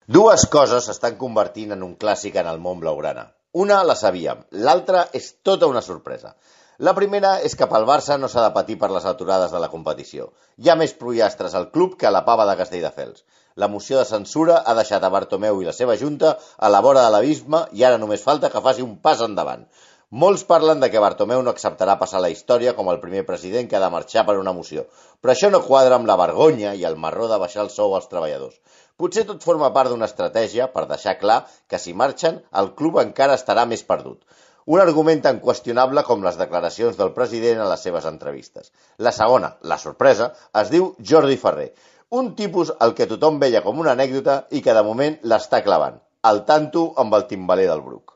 Dues coses s'estan convertint en un clàssic en el món blaugrana. Una la sabíem, l'altra és tota una sorpresa. La primera és que pel Barça no s'ha de patir per les aturades de la competició. Hi ha més pollastres al club que a la pava de Castelldefels. La moció de censura ha deixat a Bartomeu i la seva junta a la vora de l'abisme i ara només falta que faci un pas endavant. Molts parlen de que Bartomeu no acceptarà passar la història com el primer president que ha de marxar per una moció, però això no quadra amb la vergonya i el marró de baixar el sou als treballadors. Potser tot forma part d'una estratègia per deixar clar que si marxen, el club encara estarà més perdut. Un argument tan qüestionable com les declaracions del president a les seves entrevistes. La segona, la sorpresa, es diu Jordi Ferrer, un tipus al que tothom veia com una anècdota i que de moment l'està clavant. Al tanto amb el timbaler del Bruc.